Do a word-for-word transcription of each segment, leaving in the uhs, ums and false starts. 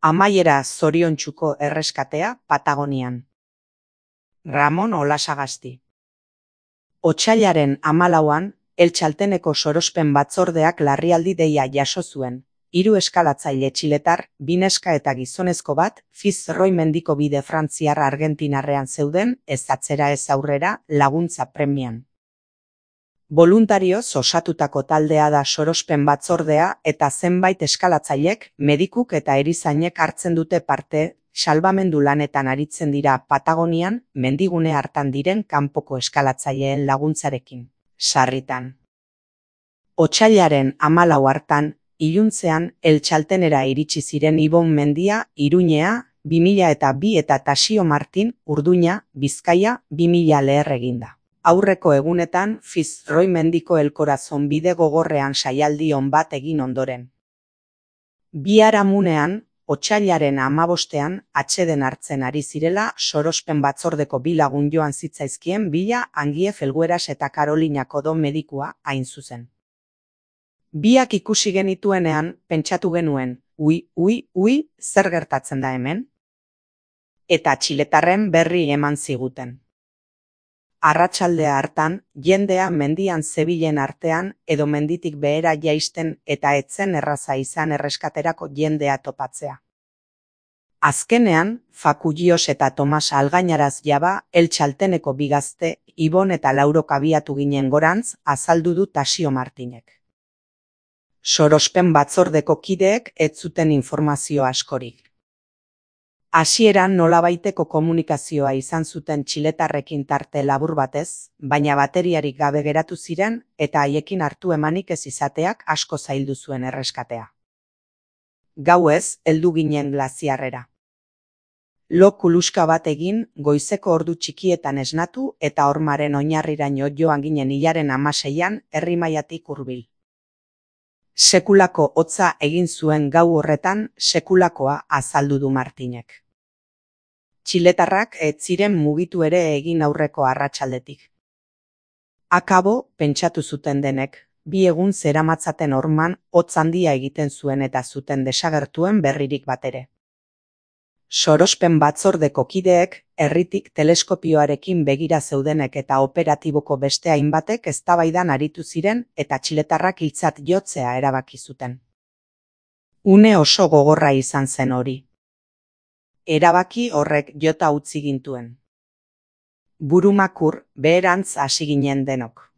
Amaiera zoriontsuko erreskatea Patagonian. Ramon Olasagasti. Otsailaren hamalauan, Eltxalteneko sorospen batzordeak larrialdi deia jaso zuen. Hiru eskalatzaile txiletar, bi neska eta gizonezko bat, Fitzroy mendiko bide frantziar argentinarrean zeuden, ez atzera ez aurrera, laguntza premian. Boluntarioz osatutako taldea da sorospen batzordea eta zenbait eskalatzailek, medikuk eta erizainek hartzen dute parte, salbamendu lanetan aritzen dira Patagonian, mendigune hartan diren kanpoko eskalatzaileen laguntzarekin. Sarritan. Otsailaren hamalau hartan, iluntzean Eltxaltenera iritsi ziren Ibon Mendia, Iruñea, bi mila eta bi eta Tasio Martin, Urduña, Bizkaia, bi mila leher eginda. Aurreko egunetan Fitzroy mendiko elkorazon bide gogorrean saialdi on bat egin ondoren. Biharamunean, otsailaren hamabostean, atseden hartzen ari zirela sorospen batzordeko bi lagun joan zitzaizkien bila Angie Felgueras eta Carolina Codó medikua hain zuzen. Biak ikusi genituenean, pentsatu genuen, ui, ui, ui, zer gertatzen da hemen? Eta txiletarren berri eman ziguten. Arratsaldea hartan, jendea mendian zebilen artean edo menditik behera jaisten eta etzen erraza izan erreskaterako jendea topatzea. Azkenean, Fakullios eta Tomas Algañaraz jaba, Eltxalteneko bi gazte, Ibon eta Laurok abiatu ginen gorantz, azaldu du Tasio Martinek. Sorospen batzordeko kideek ez zuten informazio askorik. Hasieran nolabaiteko komunikazioa izan zuten txiletarrekin tarte labur batez, baina bateriarik gabe geratu ziren eta haiekin hartu emanik ez izateak asko zaildu zuen erreskatea. Gauez, heldu ginen glaziarrera. Lo kuluska bat egin, goizeko ordu txikietan esnatu eta hormaren oinarriraino joan ginen hilaren hamaseian Herrimaiatik hurbil. Sekulako hotza egin zuen gau horretan, sekulakoa azaldu du Martinek. Txiletarrak ez ziren mugitu ere egin aurreko arratsaldetik. Akabo, pentsatu zuten denek, bi egun zeramatzaten horman hotz handia egiten zuen eta zuten desagertuen berririk batere. Sorospen batzordeko kideek, herritik teleskopioarekin begira zeudenek eta operatiboko beste hainbatek eztabaidan aritu ziren eta txiletarrak hiltzat jotzea erabaki zuten. Une oso gogorra izan zen hori. Erabaki horrek jota utzi gintuen. Burumakur, beherantz hasi ginen denok.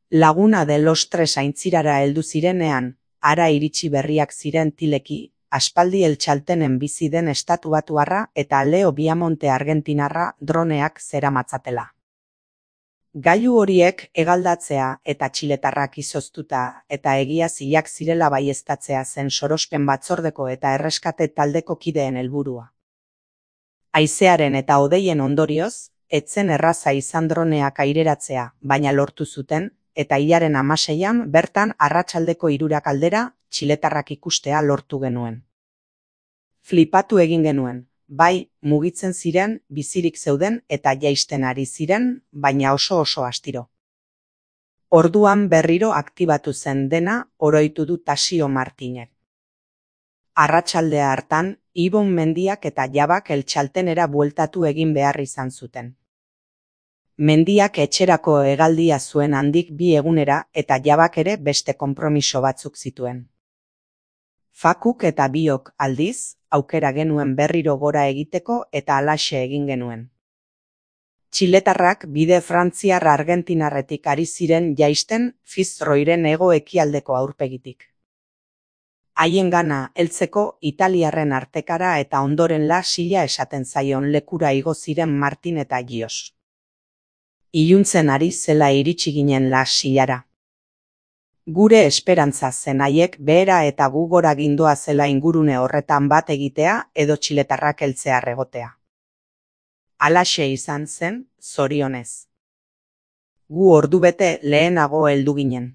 Laguna de los Tres aintzirara heldu zirenean, hara iritsi berriak ziren tileki, aspaldi Eltxaltenen bizi den estatuatuarra eta Leo Biamonte argentinarra droneak zeramatzatela. Gailu horiek hegaldatzea eta txiletarrak izoztuta eta egia zilak zirela baieztatzea zen sorospen batzordeko eta erreskate taldeko kideen helburua. Haizearen eta hodeien ondorioz, etzen erraza izan droneak aireratzea, baina lortu zuten, eta hilaren hamaseian bertan arratsaldeko hirurak aldera txiletarrak ikustea lortu genuen. Flipatu egin genuen, bai, mugitzen ziren, bizirik zeuden eta jaisten ari ziren, baina oso oso astiro. Orduan berriro aktibatu zen dena, oroitu du Tasio Martinek. Arratsaldea hartan, Ibon Mendiak eta Jabak Eltxaltenera bueltatu egin behar izan zuten. Mendiak etxerako hegaldia zuen handik bi egunera eta Jabak ere beste konpromiso batzuk zituen. Fakuk eta biok aldiz, aukera genuen berriro gora egiteko eta halaxe egin genuen. Txiletarrak bide frantziar argentinarretik ari ziren jaisten Fitzroyren hego ekialdeko aurpegitik. Haiengana heltzeko italiarren artekara eta ondoren La Silla esaten zaion lekura igo ziren Martin eta Gios. Iluntzen ari zela iritsi ginen La Sillara. Gure esperantza zen haiek behera eta gu gora gindoa zela ingurune horretan bat egitea edo txiletarrak heltzear egotea. Halaxe izan zen, zorionez. Gu ordubete lehenago heldu ginen.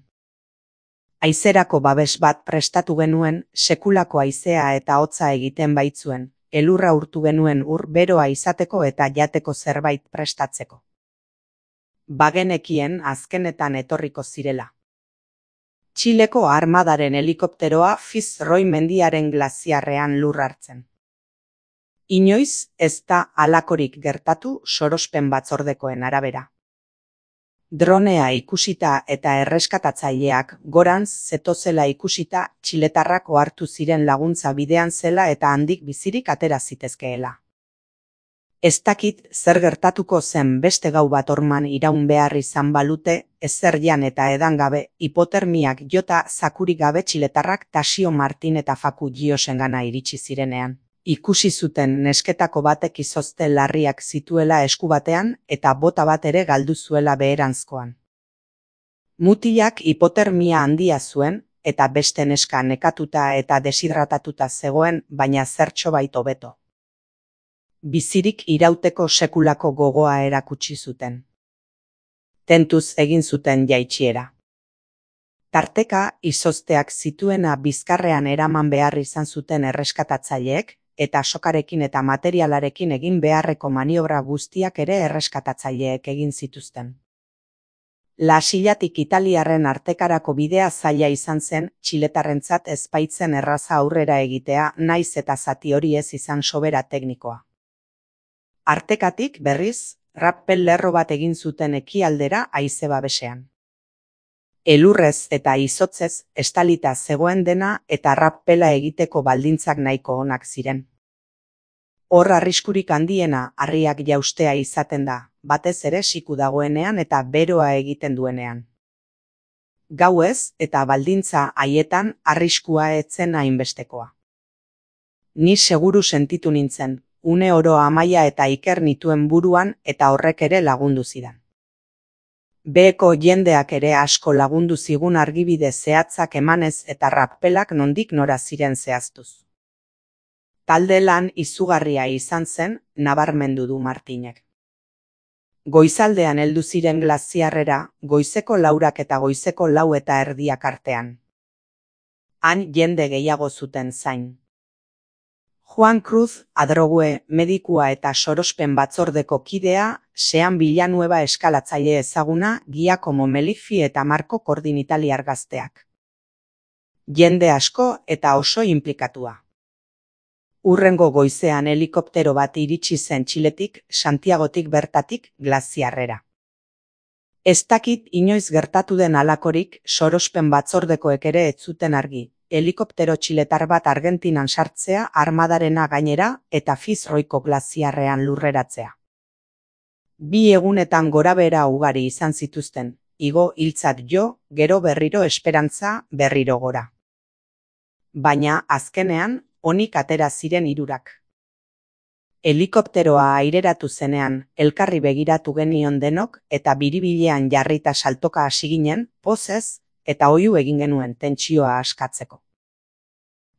Haizerako babes bat prestatu genuen, sekulako haizea eta hotza egiten baitzuen, elurra urtu genuen ur beroa izateko eta jateko zerbait prestatzeko. Bagenekien azkenetan etorriko zirela. Txileko armadaren helikopteroa Fitzroy mendiaren glaziarrean lur hartzen. Inoiz ez da halakorik gertatu sorospen batzordekoen arabera. Dronea ikusita eta erreskatatzaileak gorantz zetozela ikusita txiletarrak ohartu ziren laguntza bidean zela eta handik bizirik atera zitezkeela. Ez dakit zer gertatuko zen beste gau bat orman iraun behar izan balute, ezer jan eta edan gabe, hipotermiak jota zakurik gabe txiletarrak Tasio Martin eta Faku Giosengana iritsi zirenean. Ikusi zuten nesketako batek izozte larriak zituela esku batean eta bota bat ere galdu zuela beheranzkoan. Mutilak hipotermia handia zuen eta beste neska nekatuta eta deshidratatuta zegoen, baina zertxobait hobeto. Bizirik irauteko sekulako gogoa erakutsi zuten. Tentuz egin zuten jaitsiera. Tarteka izozteak zituena bizkarrean eraman behar izan zuten erreskatatzaileek, eta sokarekin eta materialarekin egin beharreko maniobra guztiak ere erreskatatzaileek egin zituzten. Lasillatik italiarren artekarako bidea zaila izan zen, txiletarrentzat ez baitzen erraza aurrera egitea, naiz eta zati hori ez izan sobera teknikoa. Artekatik, berriz, rappel lerro bat egin zuten ekialdera haize babesean. Elurrez eta izotzez estalita zegoen dena eta rappela egiteko baldintzak nahiko onak ziren. Hor arriskurik handiena harriak jaustea izaten da, batez ere siku dagoenean eta beroa egiten duenean. Gauez eta baldintza haietan arriskua etzen hainbestekoa. Ni seguru sentitu nintzen, une oro Amaia eta Iker nituen buruan eta horrek ere lagundu zidan. Beheko jendeak ere asko lagundu zigun argibide zehatzak emanez eta rappelak nondik nora ziren zehaztuz. Talde lan izugarria izan zen, nabarmendu du Martinek. Goizaldean heldu ziren glaziarrera, goizeko laurak eta goizeko lau eta erdiak artean. Han jende gehiago zuten zain. Juan Cruz Adrogue medikua eta sorospen batzordeko kidea, Sean Villanueva eskalatzaile ezaguna, Giacomo Meliffi eta Marco Cordin italiar gazteak. Jende asko eta oso inplikatua. Hurrengo goizean helikoptero bat iritsi zen Txiletik, Santiagotik bertatik glaziarrera. Ez dakit inoiz gertatu den halakorik, sorospen batzordekoek ere ez zuten argi. Helikoptero txiletar bat Argentinan sartzea armadarena gainera eta Fitzroyko glaziarrean lurreratzea. Bi egunetan gorabehera ugari izan zituzten, igo hiltzat jo, gero berriro esperantza, berriro gora. Baina, azkenean, onik atera ziren hirurak. Helikopteroa aireratu zenean, elkarri begiratu genion denok eta biribilean jarrita saltoka hasi ginen, pozez, eta oihu egin genuen tentsioa askatzeko.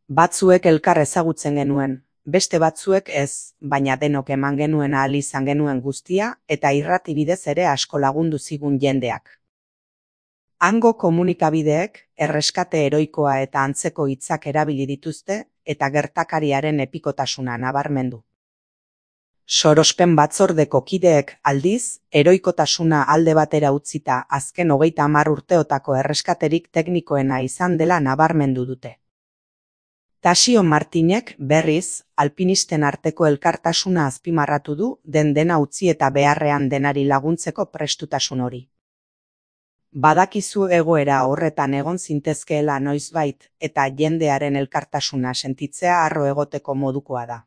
Batzuek elkar ezagutzen genuen, beste batzuek ez, baina denok eman genuen ahal izan genuen guztia eta irrati bidez ere asko lagundu zigun jendeak. Hango komunikabideek erreskate heroikoa eta antzeko hitzak erabili dituzte eta gertakariaren epikotasuna nabarmendu. Sorospen batzordeko kideek aldiz, heroikotasuna alde batera utzita azken hogeita hamar urteotako erreskaterik teknikoena izan dela nabarmendu dute. Tasio Martinek, berriz, alpinisten arteko elkartasuna azpimarratu du den dena utzi eta beharrean denari laguntzeko prestutasun hori. Badakizu egoera horretan egon zintezkeela noizbait eta jendearen elkartasuna sentitzea harro egoteko modukoa da.